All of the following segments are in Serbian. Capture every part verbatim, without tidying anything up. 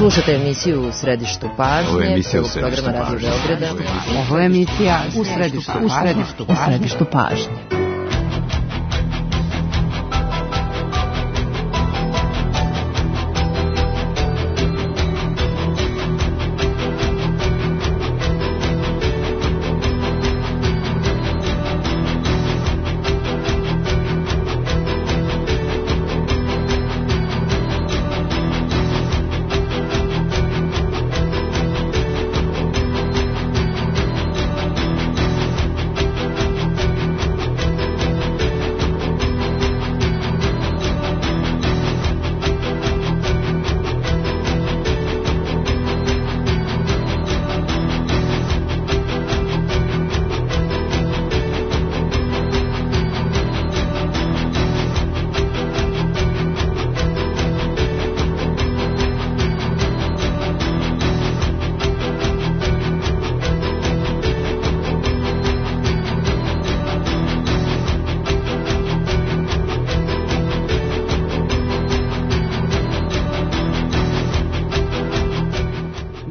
Slušate emisiju U središtu pažnje. Ovo je emisija U središtu pažnje. Ovo je emisija U središtu pažnje. U središtu pažnje.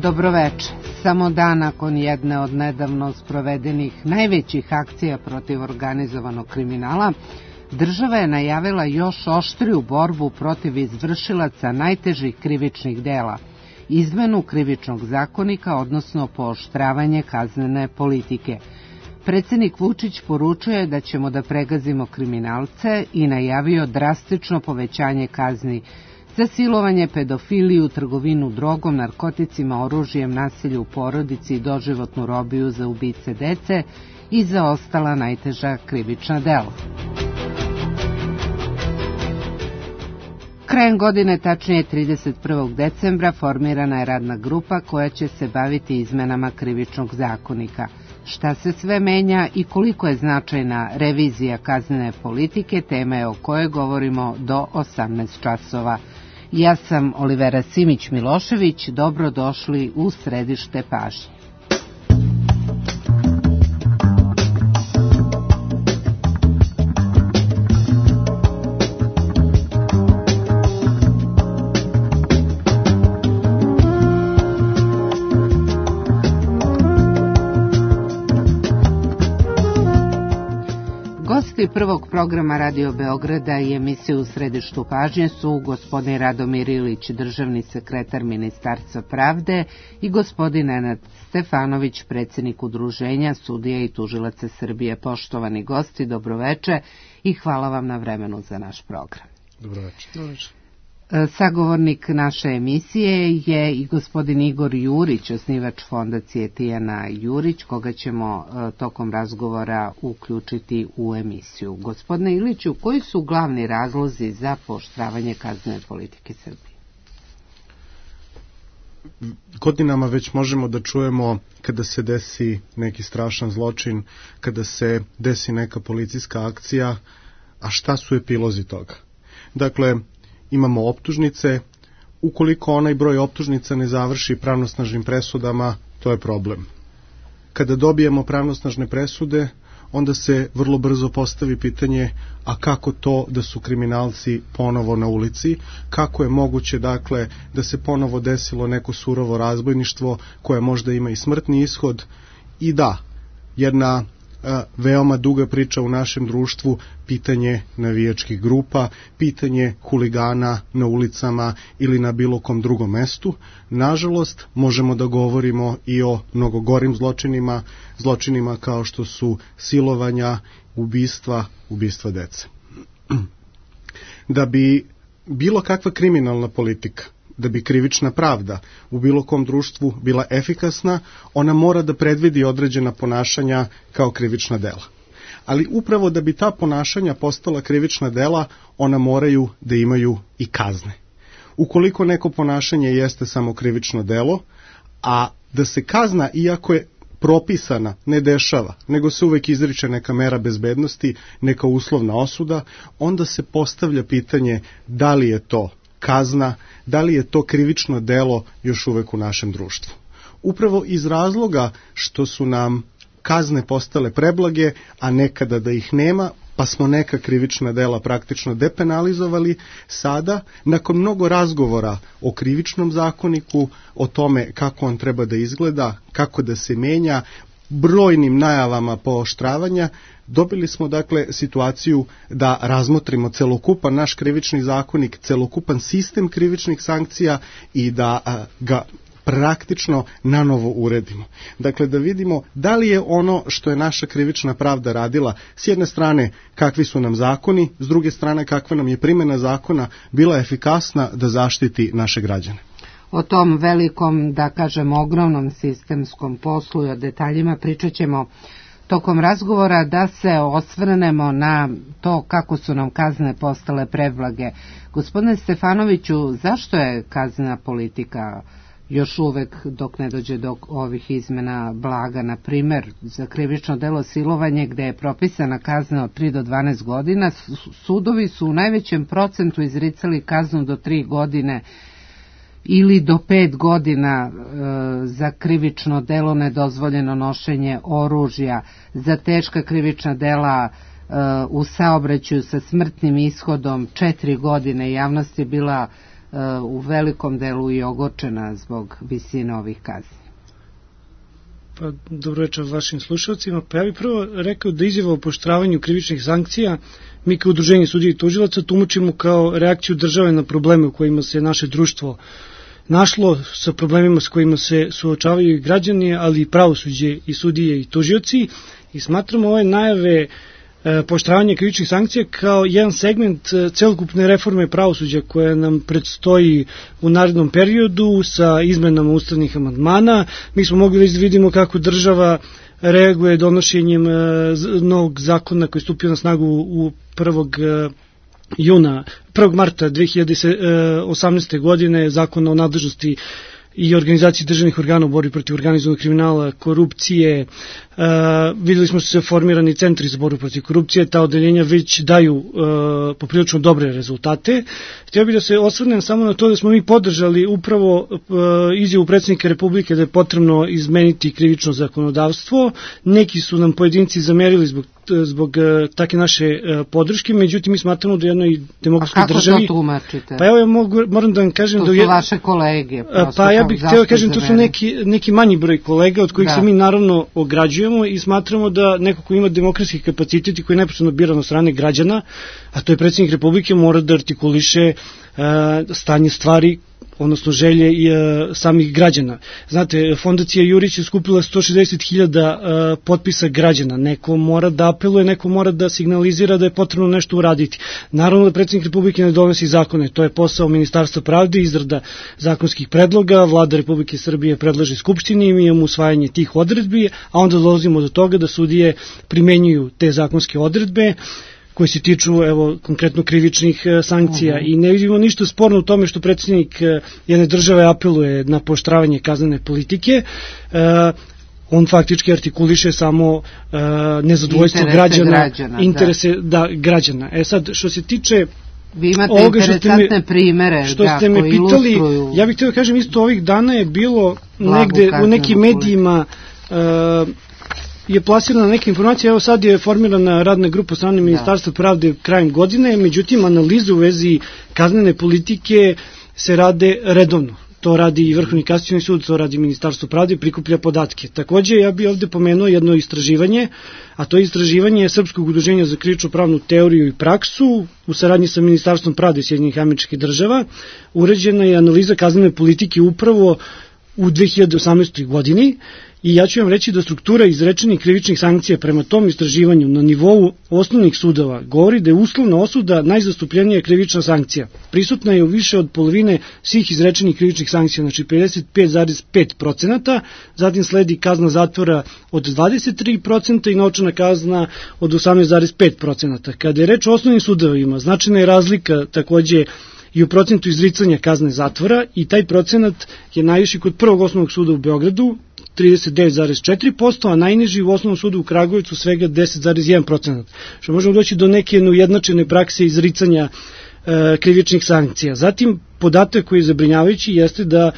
Dobroveče. Samo dan nakon jedne od nedavno sprovedenih najvećih akcija protiv organizovanog kriminala, država je najavila još oštriju borbu protiv izvršilaca najtežih krivičnih dela, izmenu krivičnog zakonika, odnosno pooštravanje kaznene politike. Predsednik Vučić poručuje da ćemo da pregazimo kriminalce i najavio drastično povećanje kazni za silovanje, pedofiliju, trgovinu drogom, narkoticima, oružjem, nasilju u porodici i doživotnu robiju za ubice dece i za ostala najteža krivična dela. Krajem godine, tačnije trideset prvog decembra, formirana je radna grupa koja će se baviti izmenama krivičnog zakonika. Šta se sve menja i koliko je značajna revizija kaznene politike, tema je o kojoj govorimo do osamnaest časova. Ja sam Olivera Simić-Milošević, dobrodošli u središte pažnje. Gosti prvog programa Radio Beograda i emisije U središtu pažnje su gospodin Radomir Ilić, državni sekretar Ministarstva pravde, i gospodin Nenad Stefanović, predsjednik Udruženja sudija i tužilaca Srbije. Poštovani gosti, dobroveče i hvala vam na vremenu za naš program. Dobroveče. Dobroveče. Sagovornik naše emisije je i gospodin Igor Jurić, osnivač fondacije Tijana Jurić, koga ćemo tokom razgovora uključiti u emisiju. Gospodine Iliću, koji su glavni razlozi za pooštravanje kaznene politike Srbije? Godinama već možemo da čujemo kada se desi neki strašan zločin, kada se desi neka policijska akcija, a šta su epilozi toga? Dakle, imamo optužnice, ukoliko onaj broj optužnica ne završi pravnosnažnim presudama, to je problem. Kada dobijemo pravnosnažne presude, onda se vrlo brzo postavi pitanje, a kako to da su kriminalci ponovo na ulici, kako je moguće, dakle, da se ponovo desilo neko surovo razbojništvo koje možda ima i smrtni ishod. I da, jedna veoma duga priča u našem društvu, pitanje navijačkih grupa, pitanje huligana na ulicama ili na bilo kom drugom mestu. Nažalost, možemo da govorimo i o mnogo gorim zločinima, zločinima kao što su silovanja, ubistva, ubistva dece. Da bi bilo kakva kriminalna politika, da bi krivična pravda u bilo kom društvu bila efikasna, ona mora da predvidi određena ponašanja kao krivična dela. Ali upravo da bi ta ponašanja postala krivična dela, ona moraju da imaju i kazne. Ukoliko neko ponašanje jeste samo krivično delo, a da se kazna, iako je propisana, ne dešava, nego se uvek izriče neka mera bezbednosti, neka uslovna osuda, onda se postavlja pitanje da li je to kazna, da li je to krivično delo još uvek u našem društvu. Upravo iz razloga što su nam kazne postale preblage, a nekada da ih nema, pa smo neka krivična dela praktično depenalizovali. Sada, nakon mnogo razgovora o krivičnom zakoniku, o tome kako on treba da izgleda, kako da se menja, brojnim najavama pooštravanja, dobili smo dakle situaciju da razmotrimo celokupan naš krivični zakonik, celokupan sistem krivičnih sankcija i da a, ga praktično nanovo uredimo. Dakle, da vidimo da li je ono što je naša krivična pravda radila, s jedne strane kakvi su nam zakoni, s druge strane kakva nam je primjena zakona bila efikasna da zaštiti naše građane. O tom velikom, da kažem, ogromnom sistemskom poslu i o detaljima pričat ćemo tokom razgovora. Da se osvrnemo na to kako su nam kazne postale preblage. Gospodine Stefanoviću, zašto je kaznena politika još uvek, dok ne dođe do ovih izmena, blaga? Na primer, za krivično delo silovanje, gde je propisana kazna od tri do dvanaest godina, sudovi su u najvećem procentu izricali kaznu do tri godine ili do pet godina e, za krivično delo nedozvoljeno nošenje oružja, za teška krivična dela e, u saobraćaju sa smrtnim ishodom četiri godine. Javnost je bila e, u velikom delu i ogorčena zbog visine ovih kazni. Pa, dobro večer vašim slušalcima. Pa ja bih prvo rekao da izjava o pooštravanju krivičnih sankcija mi kao udruženje sudija i tužilaca tumačimo kao reakciju države na probleme u kojima se naše društvo našlo, sa problemima s kojima se suočavaju i građani, ali i pravosuđe i sudije i tužioci, i smatramo ove najave e, pooštravanja krivičnih sankcija kao jedan segment e, celokupne reforme pravosuđa koja nam predstoji u narednom periodu sa izmenama ustavnih amandmana. Mi smo mogli da vidimo kako država reaguje donošenjem e, novog zakona koji je stupio na snagu u prvog juna, prvog marta dve hiljade osamnaeste. godine, zakon o nadležnosti i organizaciji državnih organa u borbi protiv organizovanog kriminala, korupcije. Uh, videli smo se formirani centri za borbu protiv korupcije, ta odeljenja već daju uh, poprilično dobre rezultate. Htio bih da se osvrnem samo na to da smo mi podržali upravo uh, izjavu predsjednika Republike da je potrebno izmeniti krivično zakonodavstvo. Neki su nam pojedinci zamerili zbog zbog uh, take naše uh, podrške, međutim mi smatramo da jednoj demokratskoj državi... A kako to tumačite? Pa evo ja mogu, moram da vam kažem... To da su je, vaše kolege. Pa ja bih htio kažem, to su neki, neki manji broj kolega od kojih da. se mi naravno ograđujemo i smatramo da neko ko ima demokratski kapacitet i koji je neposredno biran od strane građana, a to je predsjednik Republike, mora da artikuliše uh, stanje stvari, odnosno želje i e, samih građana. Znate, Fondacija Jurić je skupila sto šezdeset hiljada e, potpisa građana. Neko mora da apeluje, neko mora da signalizira da je potrebno nešto uraditi. Naravno da predsjednik Republike ne donosi zakone, to je posao Ministarstva pravde, izrada zakonskih predloga, Vlada Republike Srbije predlaže Skupštini i mi imamo usvajanje tih odredbi, a onda dolazimo do toga da sudije primenjuju te zakonske odredbe koji se tiču, evo, konkretno krivičnih e, sankcija. Uh-huh. I ne vidimo ništa sporno u tome što predsjednik e, jedne države apeluje na pooštravanje kaznene politike. E, on faktički artikuliše samo e, nezadovoljstvo interese građana, građana, interese da. Da, građana. E sad, što se tiče vi imate ovoga, interesantne me, primere što da, ste me pitali, ilustruju... ja bih htio da kažem isto ovih dana je bilo negde u nekim medijima e, je plasirana neka informacija, evo sad je formirana radna grupa strane Ministarstva pravde krajem godine, međutim analize u vezi kaznene politike se rade redovno. To radi i Vrhovni kasacioni sud, to radi Ministarstvo pravde, prikuplja podatke. Takođe, ja bih ovde pomenuo jedno istraživanje, a to je istraživanje Srpskog udruženja za krivično pravnu teoriju i praksu u saradnji sa Ministarstvom pravde Sjedinjenih Američkih Država. Urađena je analiza kaznene politike upravo u dve hiljade osamnaestoj. godini. I ja ću vam reći da struktura izrečenih krivičnih sankcija prema tom istraživanju na nivou osnovnih sudova govori da je uslovna osuda najzastupljenija krivična sankcija. Prisutna je u više od polovine svih izrečenih krivičnih sankcija, znači pedeset pet zarez pet procenata, zatim sledi kazna zatvora od dvadeset tri procenta i novčana kazna od osamnaest zarez pet procenata. Kada je reč o osnovnim sudovima, značajna je razlika takođe i u procentu izricanja kazne zatvora i taj procenat je najviši kod prvog osnovnog suda u Beogradu, trideset devet zarez četiri posto, a najniži u osnovnom sudu u Kragujevcu svega deset zarez jedan procenat. Što možemo doći do neke neujednačene prakse izricanja e, krivičnih sankcija. Zatim, podatak koji je zabrinjavajući jeste da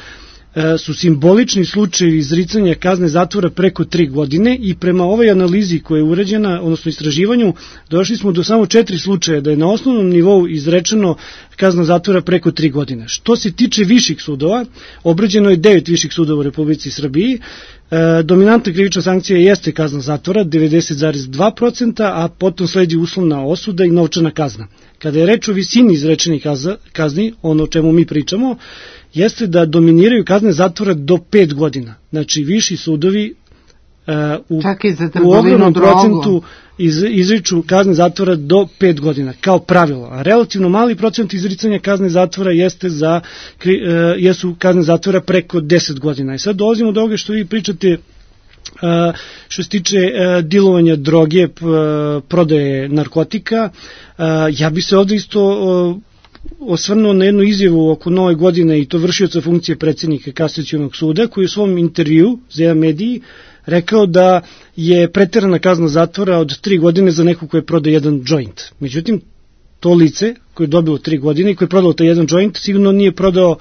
su simbolični slučajevi izricanja kazne zatvora preko tri godine i prema ovoj analizi koja je urađena, odnosno istraživanju, došli smo do samo četiri slučaja da je na osnovnom nivou izrečeno kazna zatvora preko tri godine. Što se tiče viših sudova, obrađeno je devet viših sudova u Republici Srbiji. E, dominantna krivična sankcija jeste kazna zatvora, devedeset zarez dva posto, a potom sledi uslovna osuda i novčana kazna. Kada je reč o visini izrečenih kazni, ono o čemu mi pričamo, jeste da dominiraju kazne zatvora do pet godina. Znači, viši sudovi uh, u, u ogromnom procentu iz, izriču kazne zatvora do pet godina, kao pravilo. A relativno mali procent izricanja kazne zatvora jeste za, uh, jesu kazne zatvora preko deset godina. I sad dolazimo do ovoga što vi pričate, Uh, što se tiče uh, dilovanja droge, p, uh, prodaje narkotika. Uh, ja bi se ovde isto uh, osvrnuo na jednu izjavu oko nove godine i to vršioca funkcije predsjednika Kasacionog suda, koji u svom intervju za jedan mediji rekao da je preterana kazna zatvora od tri godine za nekog koji je prodao jedan joint. Međutim, to lice koje je dobilo tri godine i koje je prodao taj jedan joint sigurno nije prodao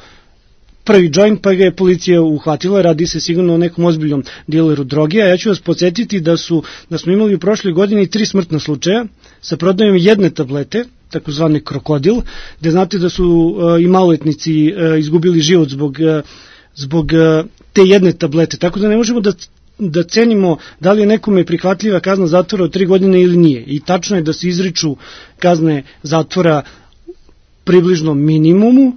prvi joint, pa ga je policija uhvatila, radi se sigurno o nekom ozbiljnom dileru droge, a ja ću vas podsjetiti da su da smo imali u prošloj godini tri smrtna slučaja sa prodajom jedne tablete, takozvane krokodil, gde znate da su uh, i maloletnici uh, izgubili život zbog, uh, zbog uh, te jedne tablete, tako da ne možemo da da cenimo da li je nekome prihvatljiva kazna zatvora od tri godine ili nije. I tačno je da se izriču kazne zatvora približno minimumu.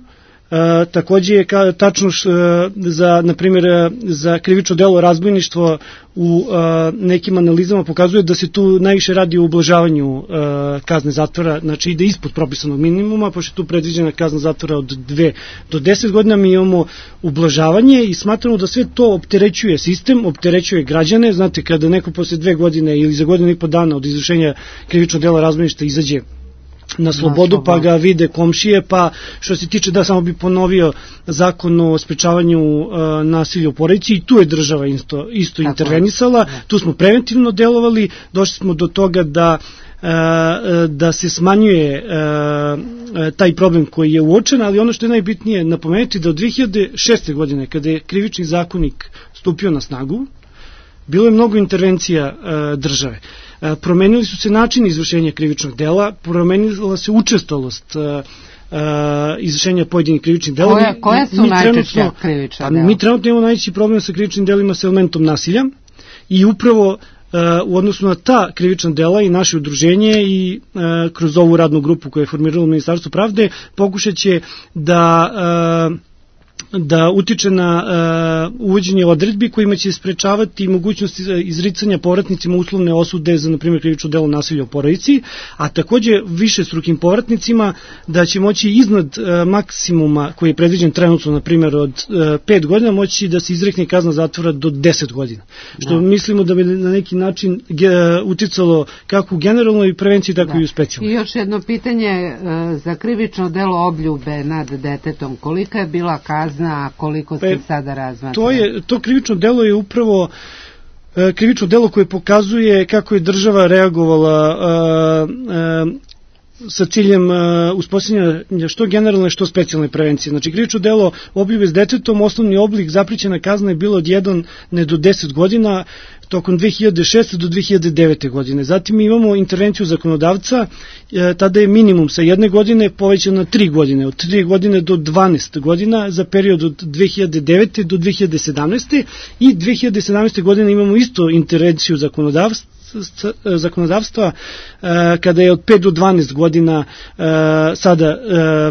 E, takođe je ka, tačno š, za, na primjer, za krivično delo razbojništvo u e, nekim analizama pokazuje da se tu najviše radi o ublažavanju e, kazne zatvora, znači ide ispod propisanog minimuma, pošto je tu predviđena kazna zatvora od dve do deset godina, mi imamo ublažavanje i smatramo da sve to opterećuje sistem, opterećuje građane. Znate, kada neko posle dve godine ili za godinu i po dana od izvršenja krivičnog dela razbojništva izađe na slobodu, pa ga vide komšije, pa što se tiče, da samo bi ponovio zakon o sprečavanju uh, nasilja u porodici, i tu je država isto, isto intervenisala, tu smo preventivno delovali, došli smo do toga da uh, da se smanjuje uh, taj problem koji je uočen, ali ono što je najbitnije napomenuti da od dve hiljade šeste. godine, kada je krivični zakonik stupio na snagu, bilo je mnogo intervencija uh, države. Promenili su se načini izvršenja krivičnog dela, promenila se učestalost uh, uh, izvršenja pojedinih krivičnih dela. Koja, koja su najčešća krivična dela? Mi trenutno imamo najveći problem sa krivičnim delima sa elementom nasilja i upravo uh, u odnosu na ta krivična dela i naše udruženje i uh, kroz ovu radnu grupu koju je formiralo Ministarstvo pravde pokušat će da uh, da utiče na uh, uvođenje odredbi kojima će sprečavati mogućnosti izricanja povratnicima uslovne osude za, na primjer, krivično delo nasilja u porodici, a takođe višestrukim povratnicima da će moći iznad uh, maksimuma koji je predviđen trenutno, na primjer, od uh, pet godina, moći da se izrekne kazna zatvora do deset godina. Što no. mislimo da bi na neki način ge, uh, uticalo kako u generalnoj prevenciji, tako da. i u specijalnoj. I još jedno pitanje uh, za krivično delo obljube nad detetom. Kolika je bila kazna, a koliko se sada razmatra? To, je, to krivično delo je upravo e, krivično delo koje pokazuje kako je država reagovala e, e, sa ciljem e, uspostavljanja što generalne, što specijalne prevencije. Znači, krivično delo obljube s detetom, osnovni oblik zaprićena kazna je bilo od jedan do deset godina, tokom dve hiljade šeste. do dve hiljade devete. godine. Zatim imamo intervenciju zakonodavca, e, tada je minimum sa jedne godine povećan na tri godine, od tri godine do dvanaest godina za period od dve hiljade devete. do dve hiljade sedamnaeste. i dve hiljade sedamnaeste. godine imamo isto intervenciju zakonodavstva, zakonodavstva kada je od pet do dvanaest godina sada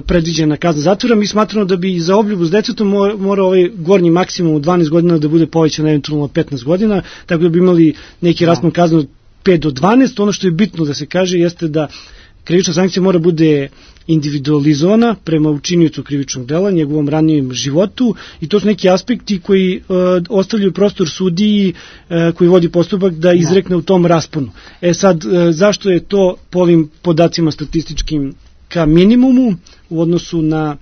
predviđena kazna zatvora. Mi smatramo da bi za obljubu s detetom mora ovaj gornji maksimum od dvanaest godina da bude povećan eventualno petnaest godina, tako da bi imali neki raspon kazne od pet do dvanaest. Ono što je bitno da se kaže jeste da krivična sankcija mora bude individualizovana prema učiniocu krivičnog dela, njegovom ranijem životu, i to su neki aspekti koji uh, ostavljaju prostor sudiji uh, koji vodi postupak da izrekne u tom rasponu. E sad, uh, zašto je to po ovim podacima statističkim ka minimumu u odnosu na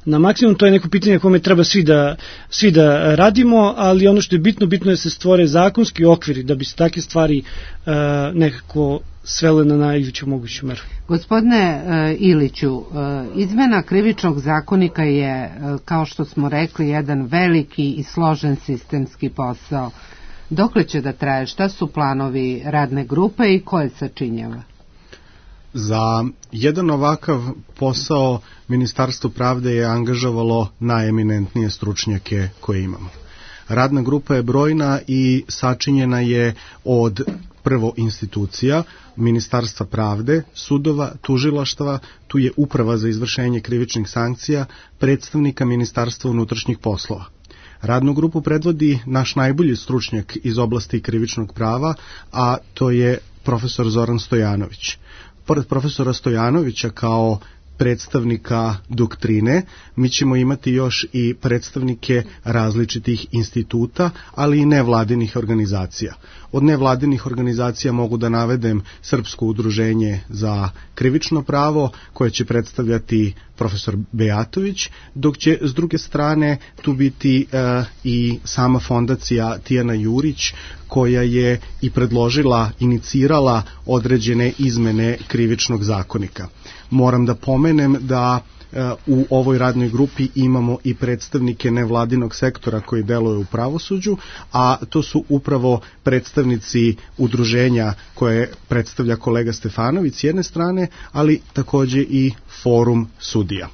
na maksimum. To je neko pitanje kome treba svi da, svi da radimo, ali ono što je bitno, bitno je da se stvore zakonski okviri da bi se takve stvari uh, nekako svele na najveću moguću meru. Gospodine uh, Iliću, uh, izmena krivičnog zakonika je, uh, kao što smo rekli, jedan veliki i složen sistemski posao. Dokle će da traje? Šta su planovi radne grupe i ko je sačinjava? Za jedan ovakav posao Ministarstvo pravde je angažovalo najeminentnije stručnjake koje imamo. Radna grupa je brojna i sačinjena je od prvo institucija, Ministarstva pravde, sudova, tužilaštva, tu je uprava za izvršenje krivičnih sankcija, predstavnika Ministarstva unutrašnjih poslova. Radnu grupu predvodi naš najbolji stručnjak iz oblasti krivičnog prava, a to je profesor Zoran Stojanović. Pored profesora Stojanovića kao predstavnika doktrine, mi ćemo imati još i predstavnike različitih instituta, ali i nevladinih organizacija. Od nevladinih organizacija mogu da navedem Srpsko udruženje za krivično pravo, koje će predstavljati profesor Bejatović, dok će s druge strane tu biti e, i sama fondacija Tijana Jurić, koja je i predložila, inicirala određene izmene krivičnog zakonika. Moram da pomenem da e, u ovoj radnoj grupi imamo i predstavnike nevladinog sektora koji deluju u pravosuđu, a to su upravo predstavnici udruženja koje predstavlja kolega Stefanović s jedne strane, ali takođe i forum sudija.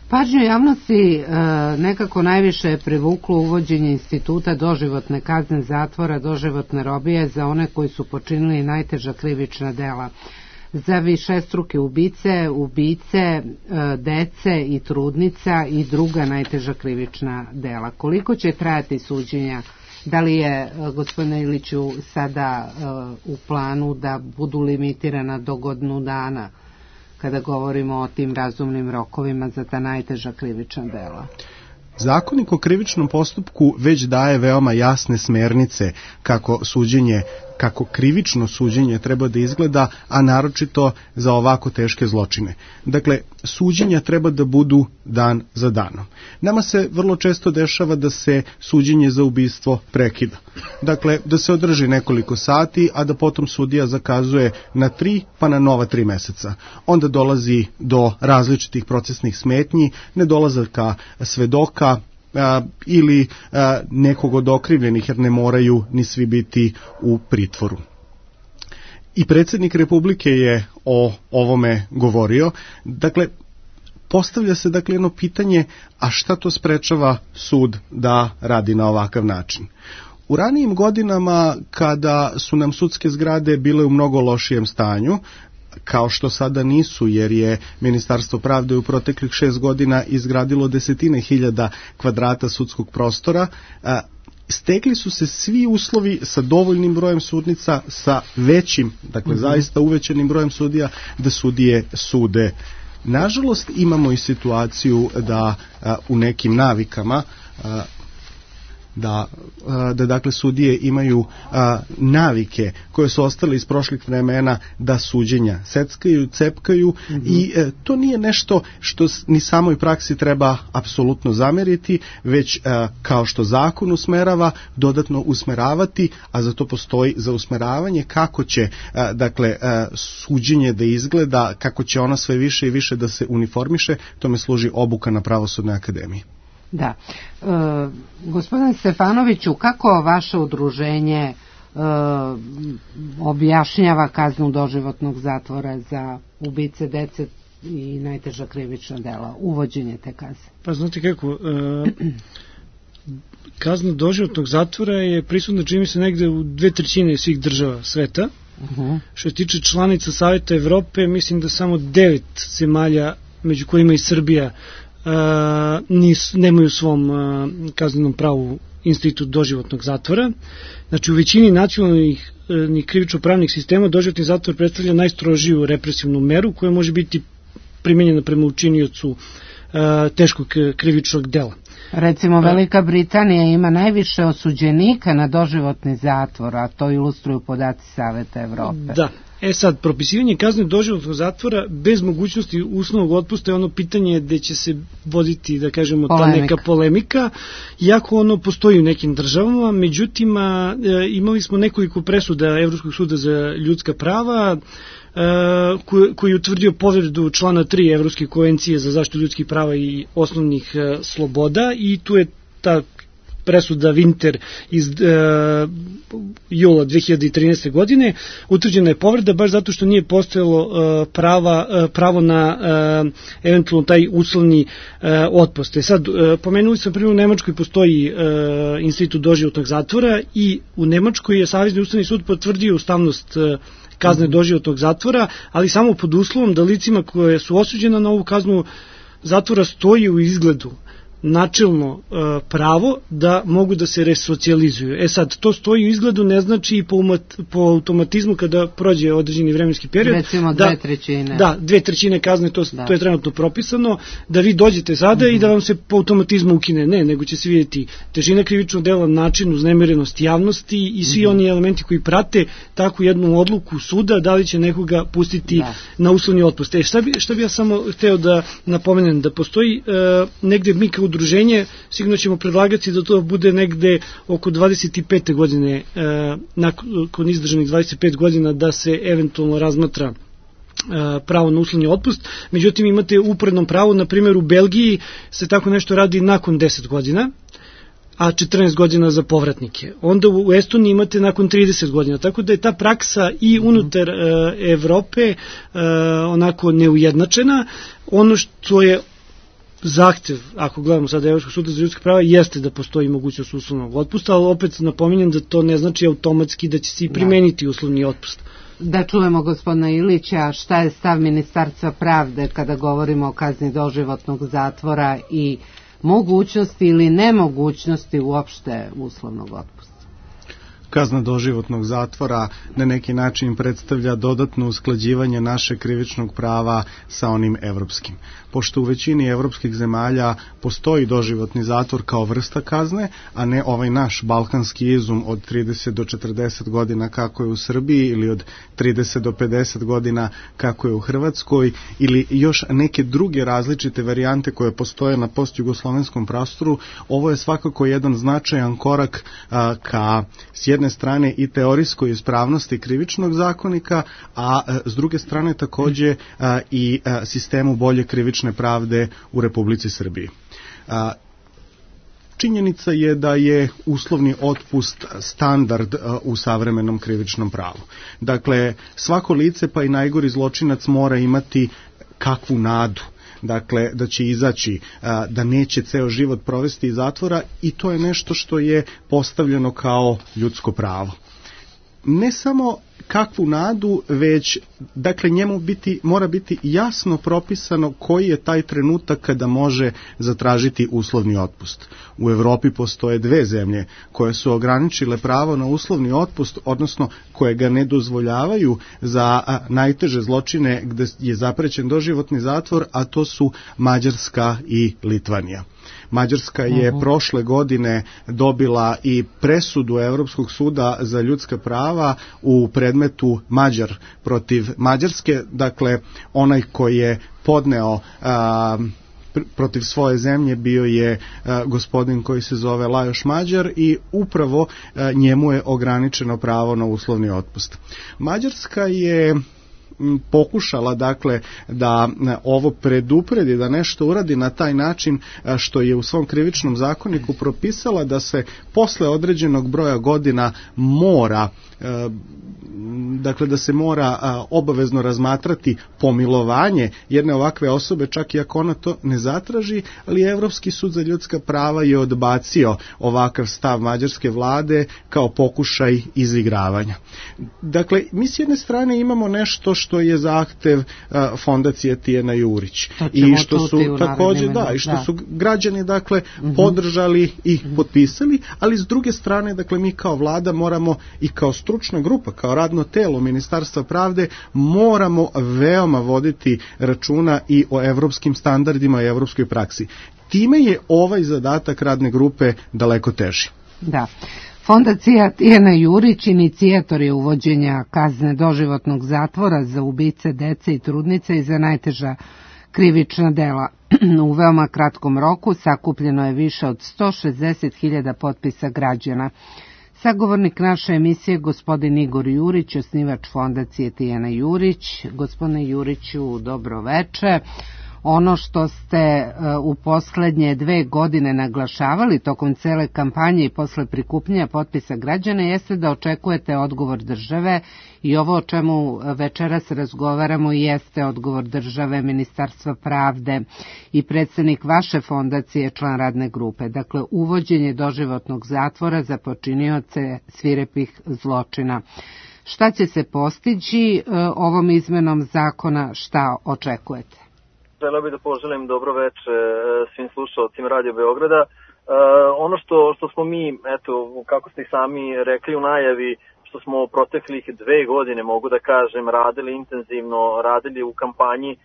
Pažnju javnosti e, nekako najviše je privuklo uvođenje instituta doživotne kazne zatvora, doživotne robije za one koji su počinili najteža krivična dela. Za višestruke ubice, ubice, e, dece i trudnica i druga najteža krivična dela. Koliko će trajati suđenja? Da li je, gospodine Iliću, sada e, u planu da budu limitirana do godinu dana, kada govorimo o tim razumnim rokovima za ta najteža krivična dela? Zakonik o krivičnom postupku već daje veoma jasne smernice kako suđenje, kako krivično suđenje treba da izgleda, a naročito za ovako teške zločine. Dakle, suđenja treba da budu dan za danom. Nama se vrlo često dešava da se suđenje za ubistvo prekida. Dakle, da se održi nekoliko sati, a da potom sudija zakazuje na tri pa na nova tri meseca. Onda dolazi do različitih procesnih smetnji, nedolazaka svedoka, A, ili a, nekog od okrivljenih, jer ne moraju ni svi biti u pritvoru. I predsjednik Republike je o ovome govorio. Dakle, postavlja se dakle jedno pitanje, a šta to sprečava sud da radi na ovakav način? U ranijim godinama, kada su nam sudske zgrade bile u mnogo lošijem stanju, kao što sada nisu, jer je Ministarstvo pravde u proteklih šest godina izgradilo desetine hiljada kvadrata sudskog prostora, stekli su se svi uslovi sa dovoljnim brojem sudnica, sa većim, dakle mm-hmm. zaista uvećanim brojem sudija, da sudije sude. Nažalost, imamo i situaciju da a, u nekim navikama a, da, da dakle sudije imaju a, navike koje su ostale iz prošlih vremena, da suđenja seckaju, cepkaju mm-hmm. i e, to nije nešto što ni samoj praksi treba apsolutno zameriti, već a, kao što zakon usmerava, dodatno usmeravati, a za to postoji za usmeravanje kako će a, dakle a, suđenje da izgleda, kako će ona sve više i više da se uniformiše, tome služi obuka na Pravosudnoj akademiji. Da. E, gospodin Stefanoviću, kako vaše udruženje e, objašnjava kaznu doživotnog zatvora za ubice dece i najteža krivična dela, uvođenje te kazne? Pa znate kako, e, kazna doživotnog zatvora je prisutna, čini mi se, negde u dve trećine svih država sveta. Uh-huh. Što se tiče članica Saveta Evrope, mislim da samo devet zemalja, među kojima i Srbija, Uh, nis, nemaju u svom uh, kaznenom pravu institut doživotnog zatvora. Znači, u većini nacionalnih uh, krivično-pravnih sistema doživotni zatvor predstavlja najstrožiju represivnu meru koja može biti primenjena prema učiniocu uh, teškog krivičnog dela. Recimo, Velika Britanija ima najviše osuđenika na doživotni zatvor, a to ilustruju podaci Saveta Evrope. Da, E sad, propisivanje kazne doživotnog zatvora bez mogućnosti uslovnog otpusta je ono pitanje gde će se voditi, da kažemo, ta neka polemika, iako ono postoji u nekim državama, međutim, a, e, imali smo nekoliko presuda Evropskog suda za ljudska prava, e, koji, koji je utvrdio povredu člana tri Evropske konvencije za zaštitu ljudskih prava i osnovnih e, sloboda, i tu je ta presuda Winter iz uh, jula dve hiljade trinaeste. godine, utvrđena je povreda baš zato što nije postojalo uh, prava, uh, pravo na uh, eventualno taj uslovni uh, otpust. E sad, uh, pomenuli sam primjer, u Nemačkoj postoji uh, institut doživotnog zatvora i u Nemačkoj je Savezni ustavni sud potvrdio ustavnost uh, kazne doživotnog zatvora, ali samo pod uslovom da licima koje su osuđena na ovu kaznu zatvora stoji u izgledu načelno e, pravo da mogu da se resocijalizuju. E sad, to stoji u izgledu, ne znači i po, umat, po automatizmu kada prođe određeni vremenski period. Recimo da, dve trećine. Da, dve trećine kazne, to, da. to je trenutno propisano, da vi dođete sada mm-hmm. i da vam se po automatizmu ukine. Ne, nego će se vidjeti težina krivičnog dela, način, uznemirenost javnosti i svi mm-hmm. oni elementi koji prate takvu jednu odluku suda, da li će nekoga pustiti da. na uslovni otpust. E, šta bi, šta bi ja samo hteo da napomenem, da postoji e, negde mi kao udruženje, sigurno ćemo predlagati da to bude negde oko dvadeset pete godine, e, nakon izdržanih dvadeset pet godina, da se eventualno razmatra e, pravo na uslovni otpust. Međutim, imate uporedno pravo, na primjer u Belgiji se tako nešto radi nakon deset godina, a četrnaest godina za povratnike. Onda u Estoniji imate nakon trideset godina, tako da je ta praksa i unutar e, Evrope e, onako neujednačena. Ono što je zahtev, ako gledamo sada Evropskog suda za ljudska prava, jeste da postoji mogućnost uslovnog otpusta, ali opet napominjem da to ne znači automatski da će se i primeniti uslovni otpust. Da čujemo gospodina Ilića, šta je stav Ministarstva pravde kada govorimo o kazni doživotnog zatvora i mogućnosti ili nemogućnosti uopšte uslovnog otpusta. Kazna doživotnog zatvora na neki način predstavlja dodatno usklađivanje našeg krivičnog prava sa onim evropskim. Pošto u većini evropskih zemalja postoji doživotni zatvor kao vrsta kazne, a ne ovaj naš balkanski izum od trideset do četrdeset godina kako je u Srbiji ili od trideset do pedeset godina kako je u Hrvatskoj ili još neke druge različite varijante koje postoje na postjugoslovenskom prostoru, ovo je svakako jedan značajan korak a, ka s jedne strane i teorijskoj ispravnosti krivičnog zakonika, a, a s druge strane takođe a, i a, sistemu bolje krivične pravde u Republici Srbiji. A, činjenica je da je uslovni otpust standard a, u savremenom krivičnom pravu. Dakle, svako lice pa i najgori zločinac mora imati kakvu nadu, dakle da će izaći, a, da neće ceo život provesti iz zatvora, i to je nešto što je postavljeno kao ljudsko pravo. Ne samo kakvu nadu, već dakle njemu biti, mora biti jasno propisano koji je taj trenutak kada može zatražiti uslovni otpust. U Evropi postoje dve zemlje koje su ograničile pravo na uslovni otpust, odnosno koje ga ne dozvoljavaju za a, najteže zločine gde je zaprećen doživotni zatvor, a to su Mađarska i Litvanija. Mađarska je uh-huh. prošle godine dobila i presudu Evropskog suda za ljudska prava u predmetu Mađar protiv Mađarske, dakle onaj koji je podneo a, pr- protiv svoje zemlje bio je a, gospodin koji se zove Lajoš Mađar i upravo a, njemu je ograničeno pravo na uslovni otpust. Mađarska je pokušala dakle da ovo predupredi, da nešto uradi na taj način što je u svom krivičnom zakoniku propisala da se posle određenog broja godina mora, dakle da se mora obavezno razmatrati pomilovanje jedne ovakve osobe, čak i ako ona to ne zatraži, ali Evropski sud za ljudska prava je odbacio ovakav stav mađarske vlade kao pokušaj izigravanja. Dakle, mi s jedne strane imamo nešto što je zahtev a, fondacije Tijana Jurić i što su takođe da i što da. su građani dakle uh-huh. podržali i uh-huh. potpisali, ali s druge strane dakle mi kao vlada moramo i kao stručna grupa, kao radno telo Ministarstva pravde moramo veoma voditi računa i o evropskim standardima i evropskoj praksi. Time je ovaj zadatak radne grupe daleko teži. Da. Fondacija Tijana Jurić inicijator je uvođenja kazne doživotnog zatvora za ubice dece i trudnice i za najteža krivična dela. U veoma kratkom roku sakupljeno je više od sto šezdeset hiljada potpisa građana. Sagovornik naše emisije, gospodin Igor Jurić, osnivač Fondacije Tijana Jurić. Gospodine Juriću, dobro veče. Ono što ste u poslednje dve godine naglašavali tokom cele kampanje i posle prikupljanja potpisa građana jeste da očekujete odgovor države i ovo o čemu večeras razgovaramo jeste odgovor države, Ministarstva pravde i predsednik vaše fondacije, član radne grupe. Dakle, uvođenje doživotnog zatvora za počinioce svirepih zločina. Šta će se postići ovom izmenom zakona, šta očekujete? Želeo bih da poželim dobro veče svim slušalcima Radio Beograda. E, ono što, što smo mi, eto, kako ste i sami rekli u najavi, što smo proteklih dve godine, mogu da kažem, radili intenzivno, radili u kampanji, e,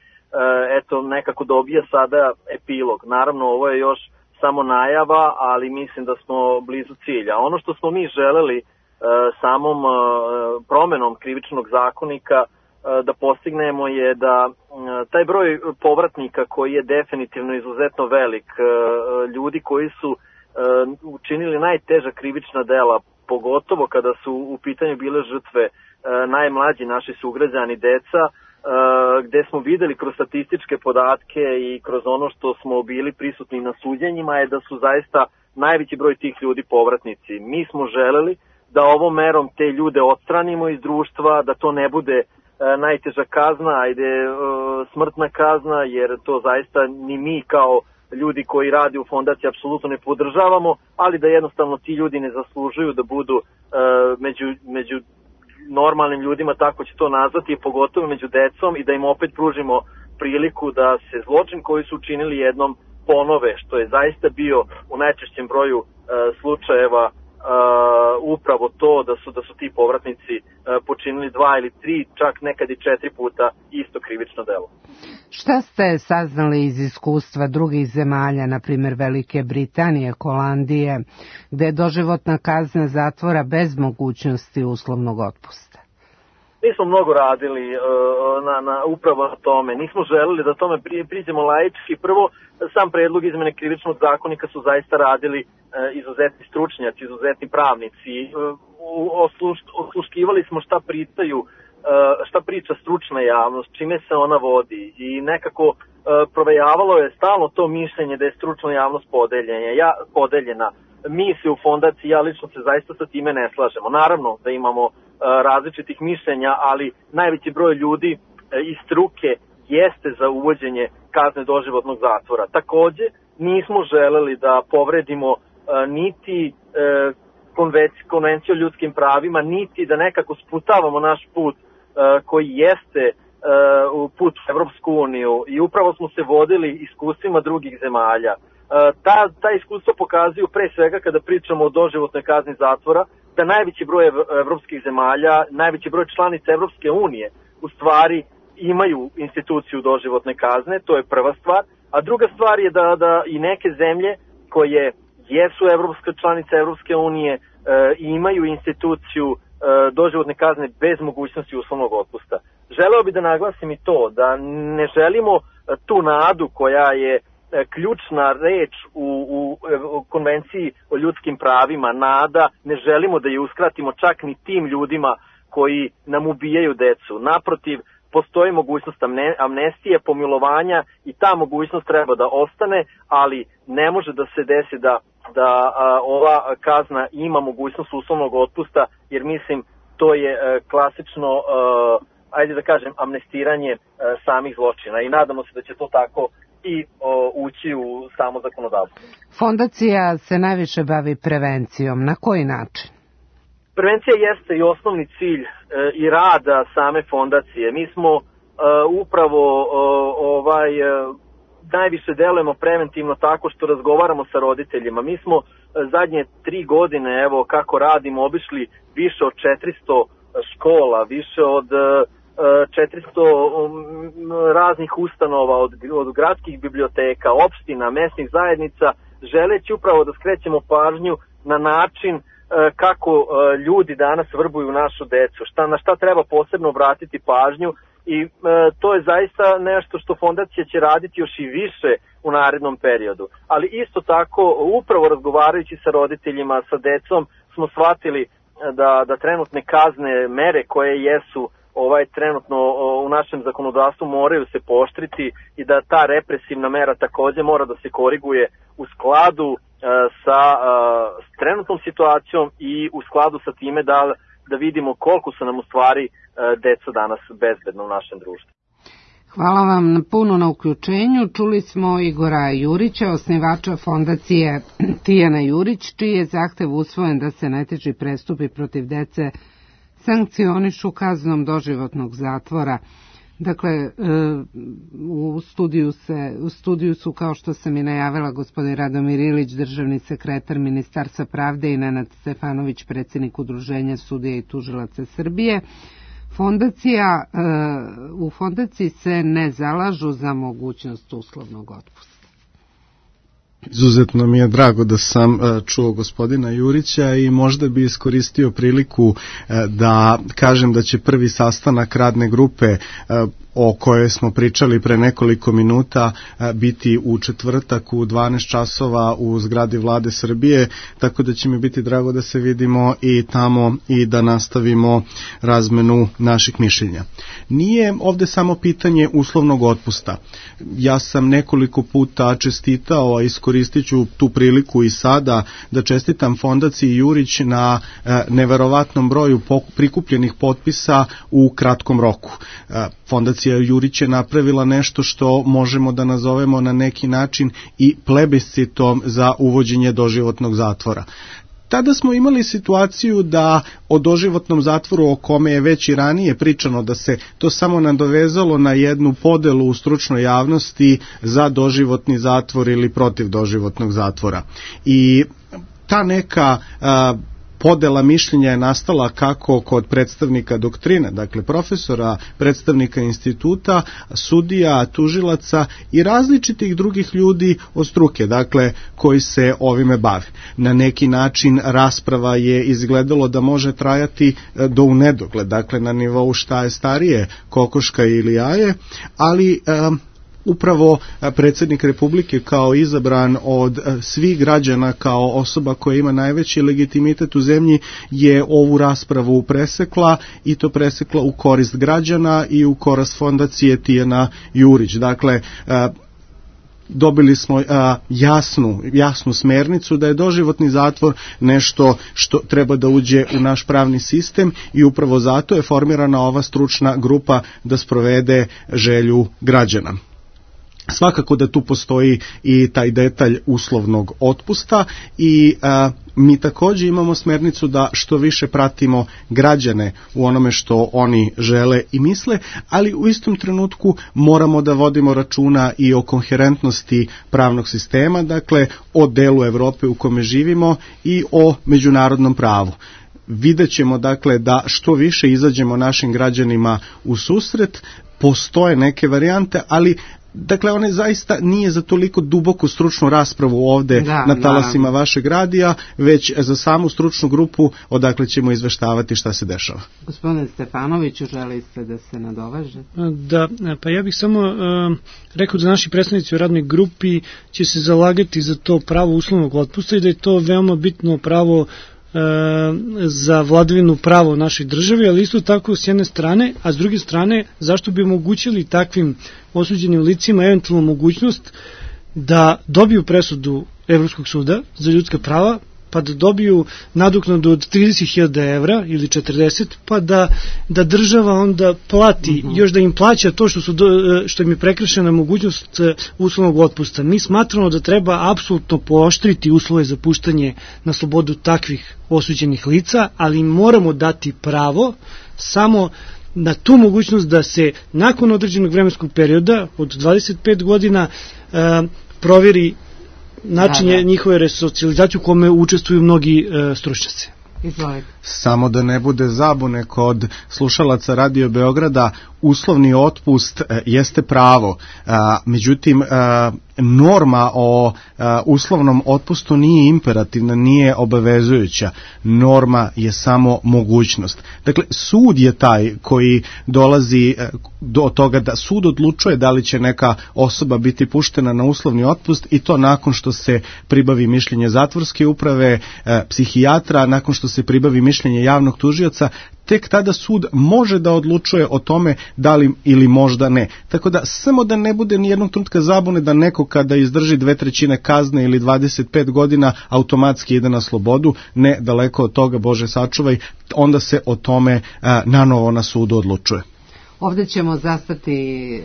eto, nekako dobija sada epilog. Naravno, ovo je još samo najava, ali mislim da smo blizu cilja. Ono što smo mi želeli e, samom e, promenom krivičnog zakonika da postignemo je da taj broj povratnika koji je definitivno izuzetno velik, ljudi koji su učinili najteža krivična dela, pogotovo kada su u pitanju bile žrtve najmlađi naši sugrađani, deca, gde smo videli kroz statističke podatke i kroz ono što smo bili prisutni na suđenjima je da su zaista najveći broj tih ljudi povratnici. Mi smo želeli da ovom merom te ljude odstranimo iz društva, da to ne bude najteža kazna, ajde smrtna kazna, jer to zaista ni mi kao ljudi koji radi u fondaciji apsolutno ne podržavamo, ali da jednostavno ti ljudi ne zaslužuju da budu među, među normalnim ljudima, tako će to nazvati, pogotovo među decom, i da im opet pružimo priliku da se zločin koji su učinili jednom ponove, što je zaista bio u najčešćem broju slučajeva Uh, upravo to da su da su ti povratnici uh, počinili dva ili tri, čak nekad i četiri puta isto krivično delo. Šta ste saznali iz iskustva drugih zemalja, na primjer Velike Britanije, Holandije, gde je doživotna kazna zatvora bez mogućnosti uslovnog otpusta? Mi smo mnogo radili uh, na, na upravo na tome. Nismo želeli da tome pri, priđemo laički. Prvo, sam predlog izmene krivičnog zakonika su zaista radili uh, izuzetni stručnjaci, izuzetni pravnici. Uh, osluš, osluškivali smo šta pričaju, uh, šta priča stručna javnost, čime se ona vodi i nekako uh, provejavalo je stalno to mišljenje da je stručna javnost podeljena. Ja, podeljena. Mi se u fondaciji, ja lično se zaista sa time ne slažemo. Naravno da imamo različitih mišljenja, ali najveći broj ljudi iz struke jeste za uvođenje kazne doživotnog zatvora. Takođe, nismo želeli da povredimo niti konvenciju o ljudskim pravima, niti da nekako sputavamo naš put koji jeste put u Evropsku uniju, i upravo smo se vodili iskustvima drugih zemalja. Ta, ta iskustva pokazuju pre svega kada pričamo o doživotnoj kazni zatvora, da najveći broj evropskih zemalja, najveći broj članica Evropske unije u stvari imaju instituciju doživotne kazne, to je prva stvar, a druga stvar je da, da i neke zemlje koje jesu evropske članice Evropske unije e, imaju instituciju e, doživotne kazne bez mogućnosti uslovnog otpusta. Želeo bih da naglasim i to, da ne želimo tu nadu koja je ključna reč u, u, u konvenciji o ljudskim pravima, nada, ne želimo da je uskratimo čak ni tim ljudima koji nam ubijaju decu. Naprotiv, postoji mogućnost amnestije, pomilovanja, i ta mogućnost treba da ostane, ali ne može da se desi da, da a, ova kazna ima mogućnost uslovnog otpusta, jer mislim to je a, klasično, a, ajde da kažem, amnestiranje a, samih zločina, i nadamo se da će to tako i o, ući u samo zakonodavstvo. Fondacija se najviše bavi prevencijom. Na koji način? Prevencija jeste i osnovni cilj e, i rada same fondacije. Mi smo e, upravo o, ovaj e, najviše delujemo preventivno tako što razgovaramo sa roditeljima. Mi smo e, zadnje tri godine, evo kako radimo, obišli više od četiristo škola, više od e, četiristo raznih ustanova, od, od gradskih biblioteka, opština, mesnih zajednica, želeći upravo da skrećemo pažnju na način kako ljudi danas vrbuju našu decu, šta, na šta treba posebno obratiti pažnju i e, to je zaista nešto što fondacija će raditi još i više u narednom periodu. Ali isto tako, upravo razgovarajući sa roditeljima, sa decom, smo shvatili da, da trenutne kazne, mere koje jesu ovaj trenutno u našem zakonodavstvu moraju se pooštriti i da ta represivna mera takođe mora da se koriguje u skladu uh, sa uh, trenutnom situacijom i u skladu sa time da, da vidimo koliko su nam u stvari uh, deca danas bezbedno u našem društvu. Hvala vam puno na uključenju. Čuli smo Igora Jurića, osnivača fondacije Tijana Jurić, čiji je zahtev usvojen da se najteži prestupi protiv dece sankcionišu kaznom doživotnog zatvora. Dakle, u studiju, se, u studiju su, kao što sam i najavila, gospodin Radomir Ilić, državni sekretar Ministarstva pravde, i Nenad Stefanović, predsjednik Udruženja sudija i tužilaca Srbije. Fondacija, u fondaciji se ne zalažu za mogućnost uslovnog otpusta. Izuzetno mi je drago da sam čuo gospodina Jurića i možda bi iskoristio priliku da kažem da će prvi sastanak radne grupe o kojoj smo pričali pre nekoliko minuta biti u četvrtak u dvanaest časova u zgradi Vlade Srbije, tako da će mi biti drago da se vidimo i tamo i da nastavimo razmenu naših mišljenja. Nije ovde samo pitanje uslovnog otpusta. Ja sam nekoliko puta čestitao, a iskoristit ću tu priliku i sada da čestitam fondaciji Jurić na neverovatnom broju prikupljenih potpisa u kratkom roku. Fondacija Jurić je napravila nešto što možemo da nazovemo na neki način i plebiscitom za uvođenje doživotnog zatvora. Tada smo imali situaciju da o doživotnom zatvoru, o kome je već i ranije pričano, da se to samo nadovezalo na jednu podelu u stručnoj javnosti za doživotni zatvor ili protiv doživotnog zatvora. I ta neka a, podela mišljenja je nastala kako kod predstavnika doktrine, dakle profesora, predstavnika instituta, sudija, tužilaca i različitih drugih ljudi od struke, dakle koji se ovime bave. Na neki način rasprava je izgledalo da može trajati do u nedogled, dakle na nivou šta je starije, kokoška ili jaje, ali um, upravo predsjednik Republike kao izabran od svih građana, kao osoba koja ima najveći legitimitet u zemlji, je ovu raspravu presekla i to presekla u korist građana i u korist fondacije Tijana Jurić. Dakle, dobili smo a, jasnu, jasnu smernicu da je doživotni zatvor nešto što treba da uđe u naš pravni sistem i upravo zato je formirana ova stručna grupa da sprovede želju građana. Svakako da tu postoji i taj detalj uslovnog otpusta i a, mi također imamo smernicu da što više pratimo građane u onome što oni žele i misle, ali u istom trenutku moramo da vodimo računa i o koherentnosti pravnog sistema, dakle o delu Evrope u kome živimo i o međunarodnom pravu. Vidjet ćemo dakle da što više izađemo našim građanima u susret, postoje neke varijante, ali dakle, one zaista nije za toliko duboku stručnu raspravu ovde da, na talasima da. vašeg radija, već za samu stručnu grupu odakle ćemo izveštavati šta se dešava. Gospodine Stefanoviću, želite da se nadovežete? Da, pa ja bih samo uh, rekao da naši predstavnici u radnoj grupi će se zalagati za to pravo uslovnog otpusta i da je to veoma bitno pravo za vladavinu prava u našoj državi, ali isto tako s jedne strane, a s druge strane zašto bi omogućili takvim osuđenim licima eventualno mogućnost da dobiju presudu Evropskog suda za ljudska prava, pa da dobiju nadoknadu od trideset hiljada evra ili četrdeset, pa da, da država onda plati, uh-huh. još da im plaća to što, su do, što im je prekršena mogućnost uslovnog otpusta. Mi smatramo da treba apsolutno pooštriti uslove za puštanje na slobodu takvih osuđenih lica, ali moramo dati pravo samo na tu mogućnost da se nakon određenog vremenskog perioda od dvadeset pet godina uh, provjeri način je njihove resocijalizacije u kome učestvuju mnogi uh, stručnjaci. Izvolite. Samo da ne bude zabune kod slušalaca Radio Beograda, uslovni otpust e, jeste pravo, e, međutim e, norma o e, uslovnom otpustu nije imperativna, nije obavezujuća. Norma je samo mogućnost. Dakle, sud je taj koji dolazi e, do toga da sud odlučuje da li će neka osoba biti puštena na uslovni otpust, i to nakon što se pribavi mišljenje zatvorske uprave, e, psihijatra, nakon što se pribavi mišljenje javnog tužioca. Tek tada sud može da odlučuje o tome da li ili možda ne. Tako da samo da ne bude ni jednog trenutka zabune da neko kada izdrži dve trećine kazne ili dvadeset pet godina automatski ide na slobodu, ne, daleko od toga, Bože sačuvaj, onda se o tome a, nanovo na sudu odlučuje. Ovdje ćemo zastati e,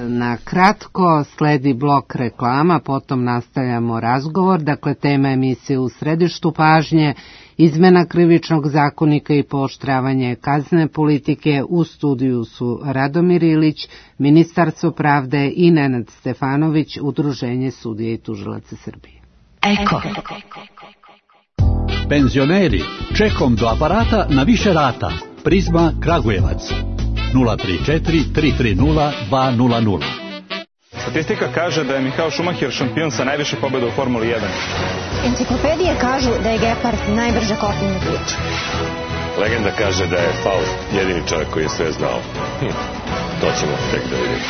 na kratko, sledi blok reklama, potom nastavljamo razgovor. Dakle, tema emisije U središtu pažnje, izmena krivičnog zakonika i pooštravanje kaznene politike. U studiju su Radomir Ilić, Ministarstvo pravde, i Nenad Stefanović, Udruženje sudija i tužilaca Srbije. Eko. Penzioneri, čekom do aparata na više rata. Prizma Kragujevac. nula tri četiri tri tri nula dva nula nula. Statistika kaže da je Michael Schumacher šampion sa najviše pobjeda u Formuli jedan. Enciklopedije kažu da je Gepard najbrža kopnena priča. Legenda kaže da je Faust jedini čovjek koji je sve znao. Hm, to ćemo tek da vidimo.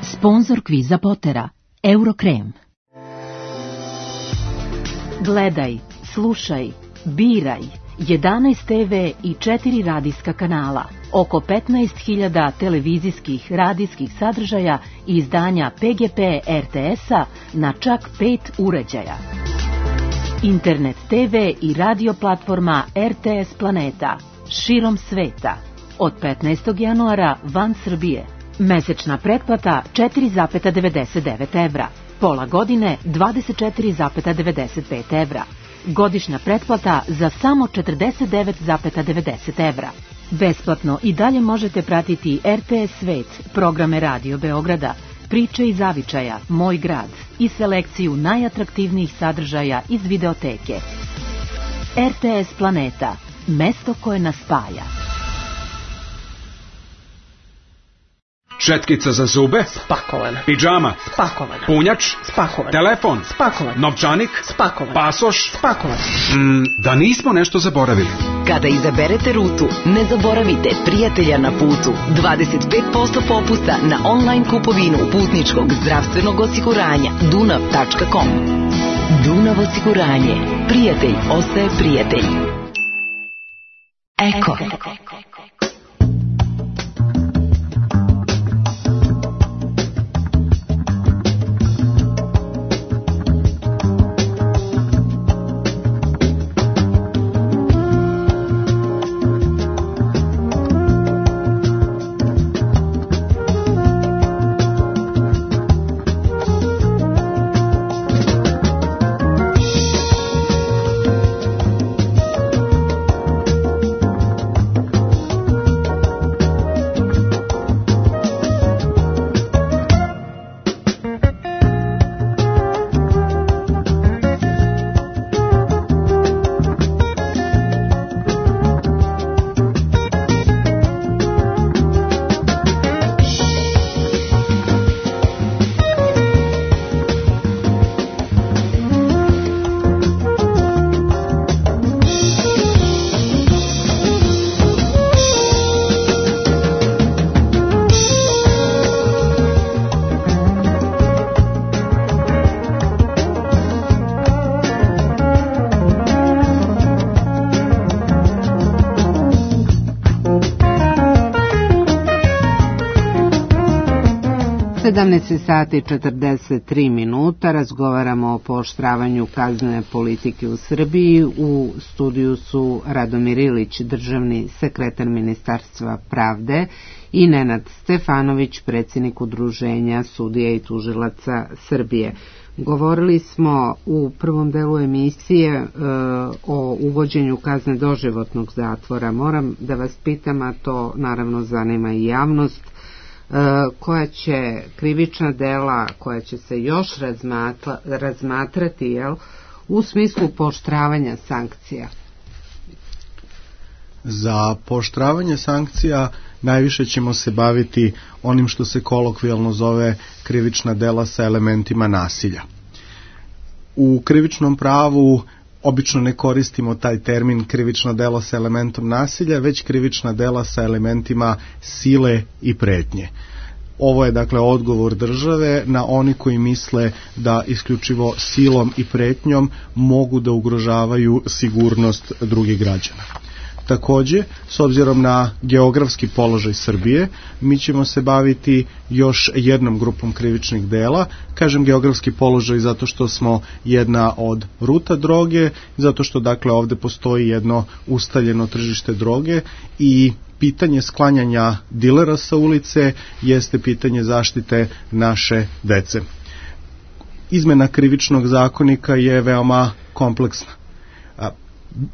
Sponzor kviza Potera, Eurokrem. Gledaj, slušaj, biraj. jedanaest te ve i četiri radijska kanala, oko petnaest hiljada televizijskih radijskih sadržaja i izdanja pe ge pe er te es-a na čak pet uređaja. Internet te ve i radio platforma er te es Planeta, širom sveta. Od petnaestog januara van Srbije. Mesečna pretplata četiri zarez devedeset devet evra. Pola godine dvadeset četiri zarez devedeset pet evra. Godišnja pretplata za samo četrdeset devet zarez devedeset evra. Besplatno i dalje možete pratiti er te es Svet, programe Radio Beograda, Priče iz zavičaja, Moj grad i selekciju najatraktivnijih sadržaja iz videoteke. er te es Planeta, mesto koje nas spaja. Šetkica za zube? Spakovana. Pidžama? Spakovana. Punjač? Spakovan. Telefon? Spakovan. Novčanik? Spakovan. Pasoš? Spakovan. Mm, da nismo nešto zaboravili. Kada izaberete rutu, ne zaboravite prijatelja na putu. dvadeset pet posto popusta na online kupovinu putničkog zdravstvenog osiguranja dunav tačka com. Dunav osiguranje. Prijatelj ostaje prijatelj. Eko. sedamnaest sati i četrdeset tri minuta, razgovaramo o pooštravanju kaznene politike u Srbiji. U studiju su Radomir Ilić, državni sekretar Ministarstva pravde, i Nenad Stefanović, predsjednik Udruženja sudija i tužilaca Srbije. Govorili smo u prvom delu emisije e, o uvođenju kazne doživotnog zatvora. Moram da vas pitam, a to naravno zanima i javnost, koja će krivična dela koja će se još razmatra, razmatrati jel, u smislu pooštravanja sankcija. Za pooštravanje sankcija najviše ćemo se baviti onim što se kolokvijalno zove krivična dela sa elementima nasilja. U krivičnom pravu obično ne koristimo taj termin krivično delo sa elementom nasilja, već krivična dela sa elementima sile i pretnje. Ovo je dakle odgovor države na oni koji misle da isključivo silom i pretnjom mogu da ugrožavaju sigurnost drugih građana. Takođe, s obzirom na geografski položaj Srbije, mi ćemo se baviti još jednom grupom krivičnih dela. Kažem geografski položaj zato što smo jedna od ruta droge, zato što dakle ovde postoji jedno ustaljeno tržište droge i pitanje sklanjanja dilera sa ulice jeste pitanje zaštite naše dece. Izmena krivičnog zakonika je veoma kompleksna.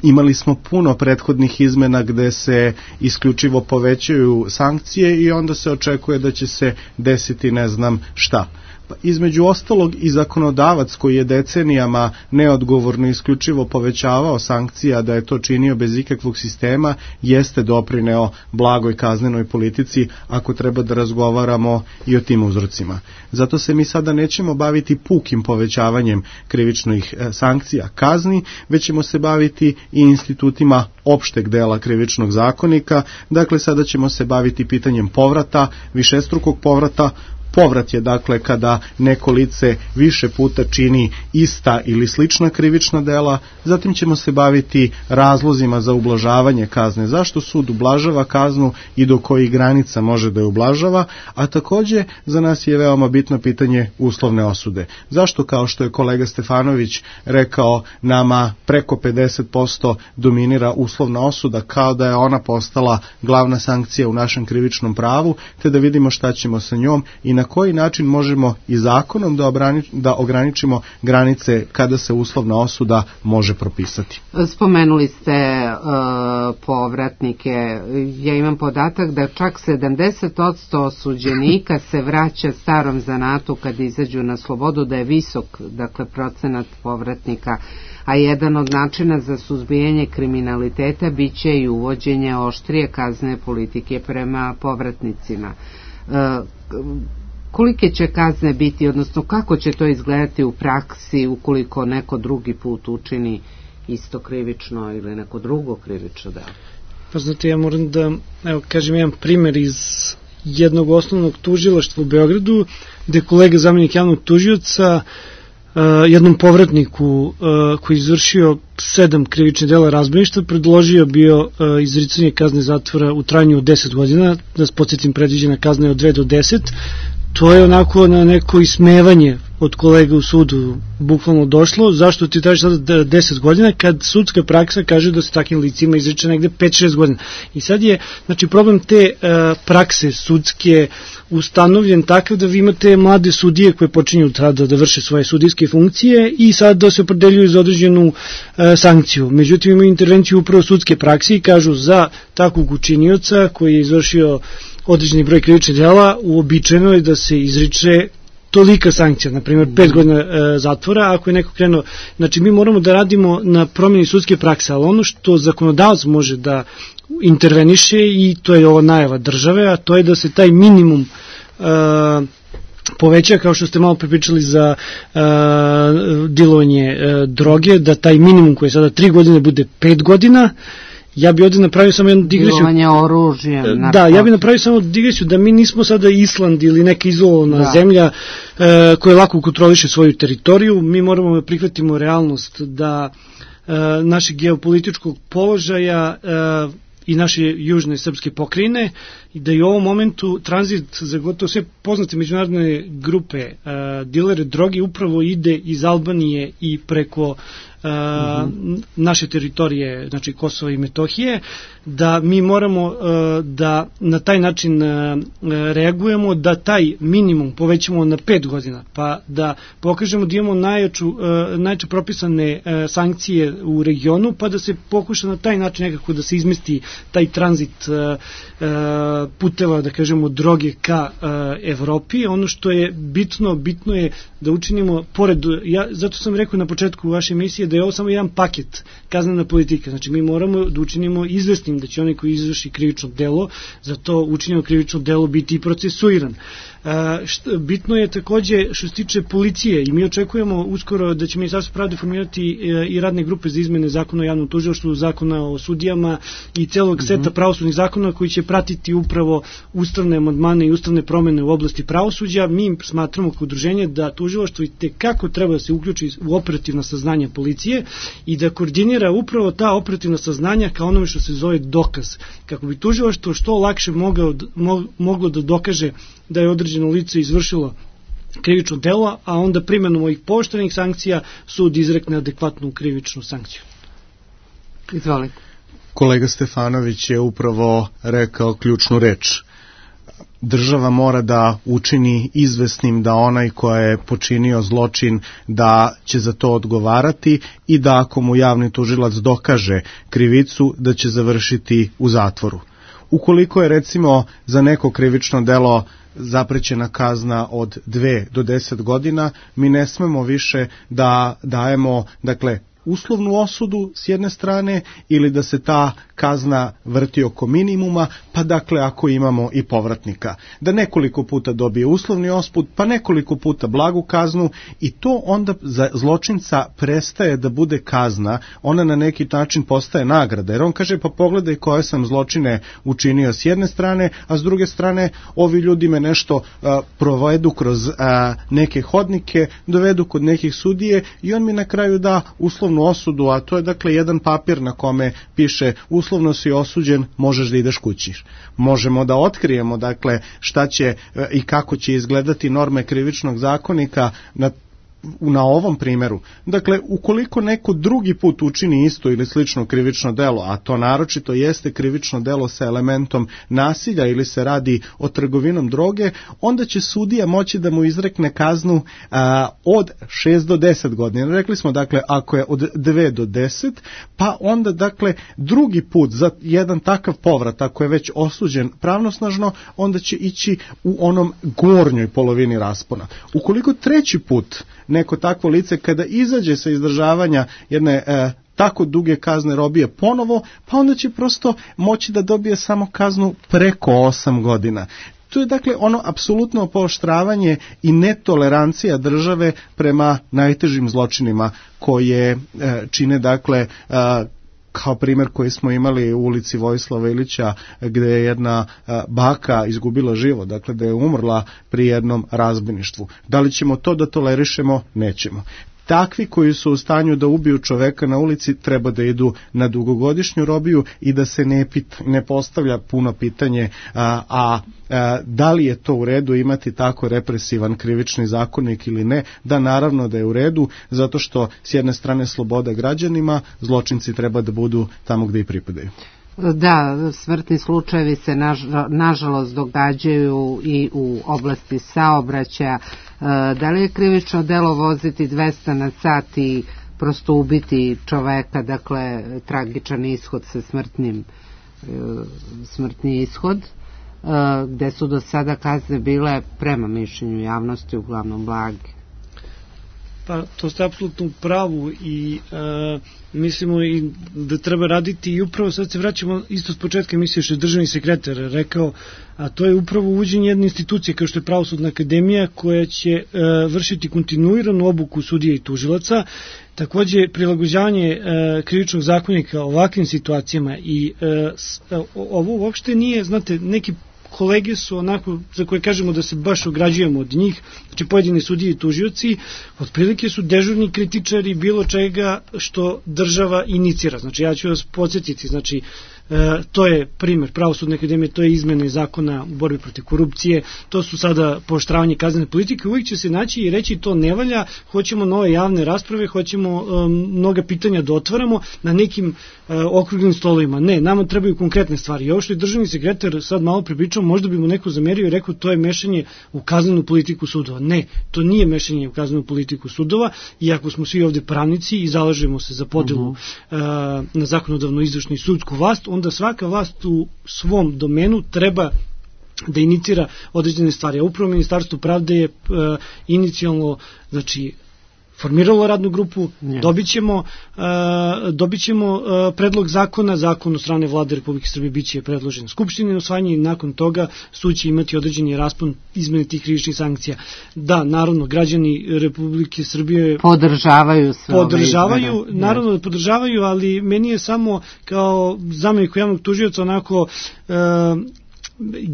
Imali smo puno prethodnih izmena gde se isključivo povećaju sankcije i onda se očekuje da će se desiti ne znam šta. Pa između ostalog i zakonodavac koji je decenijama neodgovorno isključivo povećavao sankcija, da je to činio bez ikakvog sistema, jeste doprineo blagoj kaznenoj politici ako treba da razgovaramo i o tim uzrocima. Zato se mi sada nećemo baviti pukim povećavanjem krivičnih sankcija kazni, već ćemo se baviti i institutima opšteg dela krivičnog zakonika. Dakle, sada ćemo se baviti pitanjem povrata, višestrukog povrata. Povrat je dakle kada neko lice više puta čini ista ili slična krivična dela, zatim ćemo se baviti razlozima za ublažavanje kazne, zašto sud ublažava kaznu i do kojih granica može da je ublažava, a takođe za nas je veoma bitno pitanje uslovne osude. Zašto, kao što je kolega Stefanović rekao, nama preko pedeset posto dominira uslovna osuda, kao da je ona postala glavna sankcija u našem krivičnom pravu, te da vidimo šta ćemo sa njom i na koji način možemo i zakonom da, obrani, da ograničimo granice kada se uslovna osuda može propisati. Spomenuli ste uh, povratnike. Ja imam podatak da čak sedamdeset posto osuđenika se vraća starom zanatu kad izađu na slobodu, da je visok, dakle, procenat povratnika, a jedan od načina za suzbijanje kriminaliteta biće i uvođenje oštrije kaznene politike prema povratnicima. Uh, Kolike će kazne biti, odnosno kako će to izgledati u praksi ukoliko neko drugi put učini isto krivično ili neko drugo krivično delo? Pa znate, ja moram da, evo, kažem jedan primer iz jednog osnovnog tužilaštva u Beogradu, gde kolega zamenik javnog tužioca uh, jednom povratniku uh, koji je izvršio sedam krivičnih dela razbojništva predložio bio uh, izricanje kazne zatvora u trajanju od deset godina, da se podsjetim, predviđena kazna je od dve do deset. To je onako na neko ismevanje od kolega u sudu bukvalno došlo. Zašto ti traži sada deset godina kad sudska praksa kaže da se takvim licima izriče negde pet šest godina. I sad je, znači, problem te uh, prakse sudske ustanovljen takav da vi imate mlade sudije koje počinju tada da vrše svoje sudijske funkcije i sad da se opredeljuju za određenu uh, sankciju. Međutim, imaju intervenciju upravo sudske prakse i kažu za takvog učinioca koji je izvršio određeni broj krivičnih dela, uobičajeno je da se izriče tolika sankcija, na primjer pet godina e, zatvora, ako je neko krenuo. Znači, mi moramo da radimo na promjeni sudske prakse, ali ono što zakonodavac može da interveniše, i to je ova najava države, a to je da se taj minimum e, poveća, kao što ste malo pripričali za e, dilovanje e, droge, da taj minimum koji je sada tri godine bude pet godina. Ja bi ovdje napravio samo jednu digresiju. Dilovanje oružjem. Da, ja bi napravio samo digresiju da mi nismo sada Island ili neka izolovana da. zemlja e, koja lako kontroliše svoju teritoriju. Mi moramo da prihvatimo realnost da e, našeg geopolitičkog položaja e, i naše južne srpske pokrajine i da i u ovom momentu tranzit za gotovo sve poznate međunarodne grupe e, dilere droge upravo ide iz Albanije i preko Uh, mm-hmm. naše teritorije, znači Kosova i Metohije, da mi moramo uh, da na taj način uh, reagujemo, da taj minimum povećamo na pet godina, pa da pokažemo da imamo najjaču, uh, najjače propisane uh, sankcije u regionu, pa da se pokuša na taj način nekako da se izmesti taj tranzit uh, uh, puteva, da kažemo, droge ka Evropi. Ono što je bitno, bitno je da učinimo, pored, ja, zato sam rekao na početku vaše emisije da je ovo samo jedan paket, kaznena politika. Znači mi moramo da učinimo izvesnim da će onaj koji izvrši krivično delo, za to učinjeno krivično delo biti i procesuiran. Bitno je takođe što se tiče policije i mi očekujemo uskoro da će Ministarstvo pravde formirati i radne grupe za izmene zakona o javnom tužilaštvu, zakona o sudijama i celog seta pravosudnih zakona koji će pratiti upravo ustavne amandmane i ustavne promene u oblasti pravosuđa. Mi smatramo kao udruženje da tužilaštvo i tekako treba da se uključi u operativna saznanja policije i da koordinira upravo ta operativna saznanja kao onome što se zove dokaz, kako bi tužilaštvo što lakše moglo, moglo da dokaže da je određeno lice izvršilo krivično delo, a onda primenom ovih pooštrenih sankcija sud izrekne adekvatnu krivičnu sankciju. Izvolite. Kolega Stefanović je upravo rekao ključnu reč. Država mora da učini izvesnim da onaj ko je počinio zločin da će za to odgovarati i da ako mu javni tužilac dokaže krivicu da će završiti u zatvoru. Ukoliko je recimo za neko krivično delo zaprećena kazna od dve do deset godina, mi ne smemo više da dajemo, dakle, uslovnu osudu s jedne strane ili da se ta kazna vrti oko minimuma, pa dakle ako imamo i povratnika. Da nekoliko puta dobije uslovni ospud, pa nekoliko puta blagu kaznu i to onda za zločinca prestaje da bude kazna, ona na neki način postaje nagrada, jer on kaže pa pogledaj koje sam zločine učinio s jedne strane, a s druge strane ovi ljudi me nešto a, provedu kroz a, neke hodnike, dovedu kod nekih sudije i on mi na kraju da uslovnu osudu, a to je dakle jedan papir na kome piše uslovno si osuđen, možeš da ideš kući. Možemo da otkrijemo dakle šta će i kako će izgledati norme krivičnog zakonika na na ovom primjeru. Dakle, ukoliko neko drugi put učini isto ili slično krivično delo, a to naročito jeste krivično delo sa elementom nasilja ili se radi o trgovinom droge, onda će sudija moći da mu izrekne kaznu a, od šest do deset godina. Rekli smo, dakle, ako je od dve do deset, pa onda, dakle, drugi put za jedan takav povrat, ako je već osuđen pravnosnažno, onda će ići u onom gornjoj polovini raspona. Ukoliko treći put neko takvo lice kada izađe sa izdržavanja jedne e, tako duge kazne robije ponovo, pa onda će prosto moći da dobije samo kaznu preko osam godina. To je dakle ono apsolutno pooštravanje i netolerancija države prema najtežim zločinima koje e, čine dakle e, kao primjer koji smo imali u ulici Vojislava Ilića gdje je jedna baka izgubila život, dakle da je umrla pri jednom razbojništvu. Da li ćemo to da tolerišemo? Nećemo. Takvi koji su u stanju da ubiju čoveka na ulici treba da idu na dugogodišnju robiju i da se ne, pit, ne postavlja puno pitanje a, a, a da li je to u redu imati tako represivan krivični zakonik ili ne. Da, naravno da je u redu, zato što s jedne strane sloboda građanima, zločinci treba da budu tamo gdje i pripadaju. Da, smrtni slučajevi se naž, nažalost događaju i u oblasti saobraćaja. Da li je krivično delo voziti dvesta na sat i prosto ubiti čoveka, dakle tragičan ishod sa smrtnim smrtni ishod, gde su do sada kazne bile prema mišljenju javnosti uglavnom blage? Pa to ste apsolutno u pravu i e, mislimo i da treba raditi i upravo sad se vraćamo isto s početka emisije što je državni sekretar rekao, a to je upravo uvođenje jedne institucije kao što je Pravosudna akademija koja će e, vršiti kontinuiranu obuku sudija i tužilaca, takođe prilagođavanje e, krivičnog zakonika ovakvim situacijama i e, s, e, ovo uopšte nije, znate, neki kolege su onako, za koje kažemo da se baš ograđujemo od njih, znači pojedini sudije i tužioci, otprilike su dežurni kritičari bilo čega što država inicira. Znači ja ću vas podsjetiti, znači E, to je primjer Pravosudne akademije, to je izmene zakona u borbi protiv korupcije, to su sada pooštravanje kaznene politike, uvijek će se naći i reći to ne valja, hoćemo nove javne rasprave, hoćemo um, mnoga pitanja da otvaramo na nekim uh, okruglim stolovima. Ne, nama trebaju konkretne stvari. I ovo što je državni sekretar sad malo pripričao, možda bi mu neko zamerio i rekao to je mešanje u kaznenu politiku sudova. Ne, to nije mešanje u kaznenu politiku sudova, iako smo svi ovde pravnici i zalažemo se za podelu uh -huh. uh, na zakonodavnu izvršnu i sudsku vlast, onda svaka vlast u svom domenu treba da inicira određene stvari. A upravo Ministarstvo pravde je uh, inicijalno, znači, formiralo radnu grupu, yes. dobit ćemo, uh, dobit ćemo uh, predlog zakona, zakon od strane vlade Republike Srbije biće predložen Skupštini na usvajanje i nakon toga sud će imati određeni raspon izmene tih krivičnih sankcija. Da, naravno, građani Republike Srbije podržavaju sve podržavaju, ove naravno da podržavaju, ali meni je samo kao zamjenik javnog tužioca onako uh,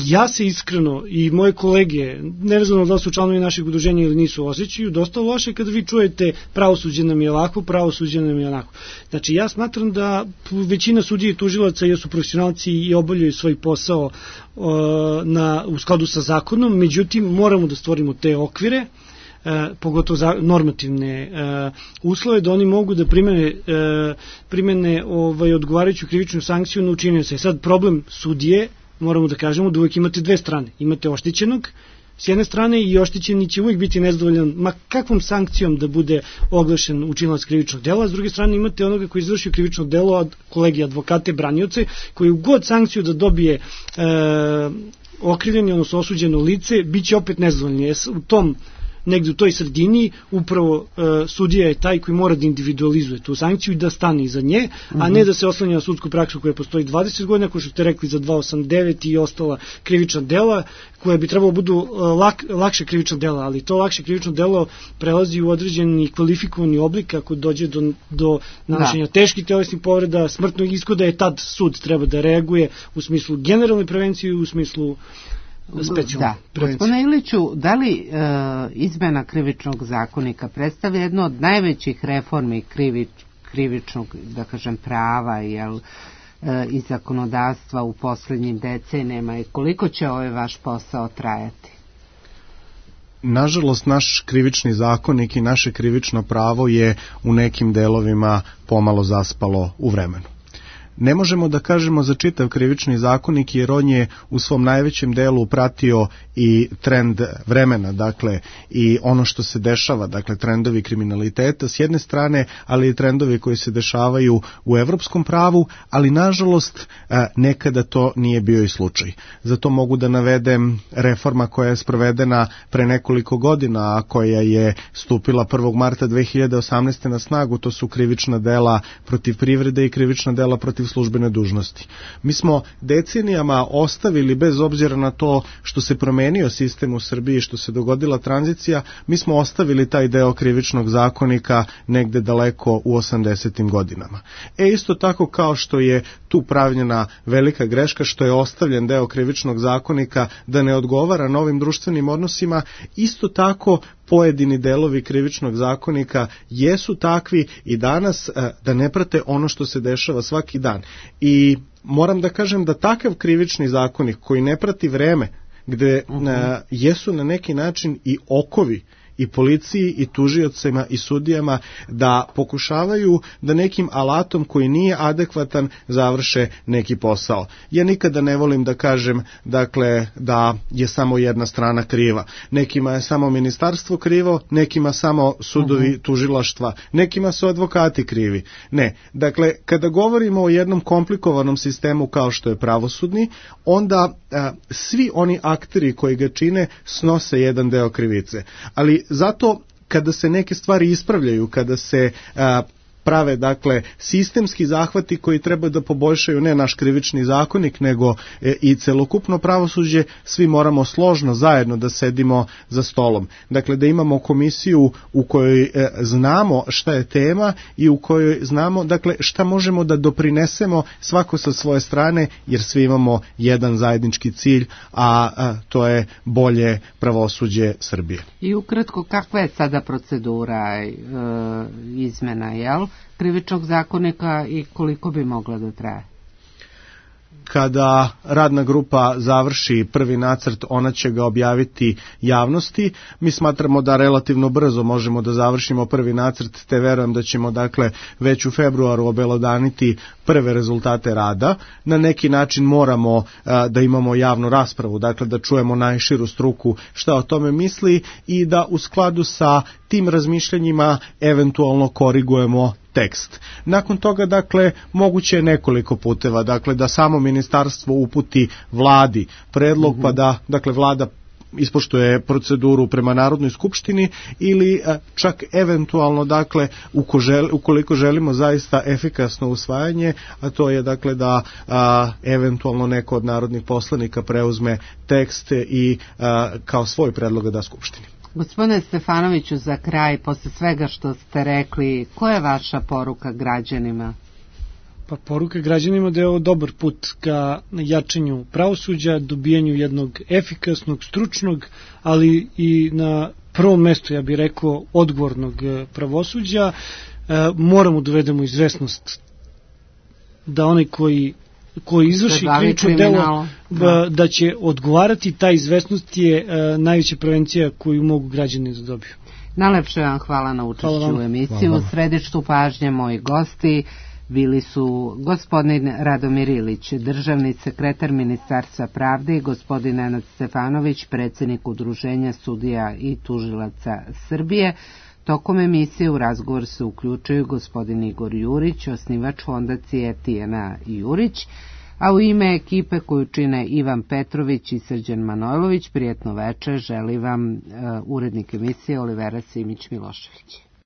ja se iskreno i moje kolege, nevezano da su članovi naših udruženja ili nisu, osjećaju dosta loše kada vi čujete pravosuđe nam je ovako, pravosuđe nam je onako. Znači ja smatram da većina sudija i tužilaca jesu profesionalci i obavljaju svoj posao uh, na, u skladu sa zakonom, međutim moramo da stvorimo te okvire, Uh, pogotovo za normativne uh, uslove, da oni mogu da primene, uh, primene ovaj, odgovarajuću krivičnu sankciju na učinioca. Sad problem sudije, moramo da kažemo da uvijek imate dve strane. Imate oštećenog s jedne strane i oštećeni će uvijek biti nezadovoljan ma kakvom sankcijom da bude oglašen učinilac krivičnog dela, a s druge strane imate onoga koji izvršio krivično delo od kolegi advokate, branioce, koji u god sankciju da dobije e, okrivljeni, odnosno osuđeno lice, bit će opet nezadovoljni. U tom negde u toj sredini upravo e, sudija je taj koji mora da individualizuje tu sankciju i da stane iza nje, mm-hmm. a ne da se oslanja na sudsku praksu koja postoji dvadeset godina, kao što ste rekli za dva osamdeset devet i ostala krivična dela, koja bi trebalo budu lak, lakše krivična dela, ali to lakše krivično delo prelazi u određeni kvalifikovani oblik ako dođe do, do nanošenja da. teških telesnih povreda, smrtnog ishoda, je tad sud treba da reaguje u smislu generalne prevencije i u smislu Da, gospodine Iliću, da li e, izmena krivičnog zakonika predstavlja jedno od najvećih reformi krivič, krivičnog, da kažem, prava jel, e, i zakonodavstva u poslednjim decenijama i koliko će ovaj vaš posao trajati? Nažalost, naš krivični zakonik i naše krivično pravo je u nekim delovima pomalo zaspalo u vremenu. Ne možemo da kažemo za čitav krivični zakonik jer on je u svom najvećem delu pratio i trend vremena, dakle i ono što se dešava, dakle trendovi kriminaliteta s jedne strane, ali i trendovi koji se dešavaju u evropskom pravu, ali nažalost nekada to nije bio i slučaj. Zato mogu da navedem reforma koja je sprovedena pre nekoliko godina, a koja je stupila prvog marta dve hiljade osamnaeste. na snagu, to su krivična dela protiv privrede i krivična dela protiv službene dužnosti. Mi smo decenijama ostavili, bez obzira na to što se promenio sistem u Srbiji, što se dogodila tranzicija, mi smo ostavili taj deo krivičnog zakonika negde daleko u osamdesetim godinama. E isto tako kao što je tu pravljena velika greška, što je ostavljen deo krivičnog zakonika da ne odgovara novim društvenim odnosima, isto tako pojedini delovi krivičnog zakonika jesu takvi i danas da ne prate ono što se dešava svaki dan. I moram da kažem da takav krivični zakonik koji ne prati vreme, gde uh-huh. jesu na neki način i okovi i policiji i tužiocima i sudijama da pokušavaju da nekim alatom koji nije adekvatan završe neki posao. Ja nikada ne volim da kažem dakle da je samo jedna strana kriva. Nekima je samo ministarstvo krivo, nekima samo sudovi uh-huh. tužilaštva, nekima su advokati krivi. Ne, dakle kada govorimo o jednom komplikovanom sistemu kao što je pravosudni, onda a, svi oni akteri koji ga čine snose jedan deo krivice. Ali zato kada se neke stvari ispravljaju, kada se a, prave dakle sistemski zahvati koji treba da poboljšaju ne naš krivični zakonik nego e, i celokupno pravosuđe, svi moramo složno zajedno da sedimo za stolom. Dakle da imamo komisiju u kojoj e, znamo šta je tema i u kojoj znamo dakle šta možemo da doprinesemo svako sa svoje strane, jer svi imamo jedan zajednički cilj, a, a to je bolje pravosuđe Srbije. I ukratko, kakva je sada procedura e, izmena, jel? Krivičnog zakonika i koliko bi mogla da traje? Kada radna grupa završi prvi nacrt, ona će ga objaviti javnosti. Mi smatramo da relativno brzo možemo da završimo prvi nacrt, te verujem da ćemo dakle već u februaru obelodaniti prve rezultate rada. Na neki način moramo a, da imamo javnu raspravu, dakle da čujemo najširu struku šta o tome misli i da u skladu sa tim razmišljanjima eventualno korigujemo tekst. Nakon toga, dakle, moguće je nekoliko puteva, dakle, da samo ministarstvo uputi vladi predlog, mm-hmm. pa da, dakle, vlada ispoštuje proceduru prema Narodnoj skupštini ili čak eventualno, dakle, ukoliko želimo zaista efikasno usvajanje, a to je, dakle, da a, eventualno neko od narodnih poslanika preuzme tekst i a, kao svoj predlog da skupštini. Gospodine Stefanoviću, za kraj, posle svega što ste rekli, koja je vaša poruka građanima? Pa poruka građanima da je ovo dobar put ka jačanju pravosuđa, dobijanju jednog efikasnog, stručnog, ali i na prvom mestu, ja bih rekao, odgovornog pravosuđa. E, moramo dovedemo izvesnost da onaj koji koji izvrši krivično delo da. da će odgovarati, ta izvesnost je e, najveća prevencija koju mogu građani da dobiju. Najlepše vam hvala na učešću u emisiju. U središtu pažnje moji gosti bili su gospodin Radomir Ilić, državni sekretar Ministarstva pravde, i gospodin Nenad Stefanović, predsjednik Udruženja sudija i tužilaca Srbije. Tokom emisije u razgovor se uključuju gospodin Igor Jurić, osnivač fondacije Tijana Jurić, a u ime ekipe koju čine Ivan Petrović i Srđan Manojlović, prijetno večer želi vam uh, urednik emisije Olivera Simić-Milošević.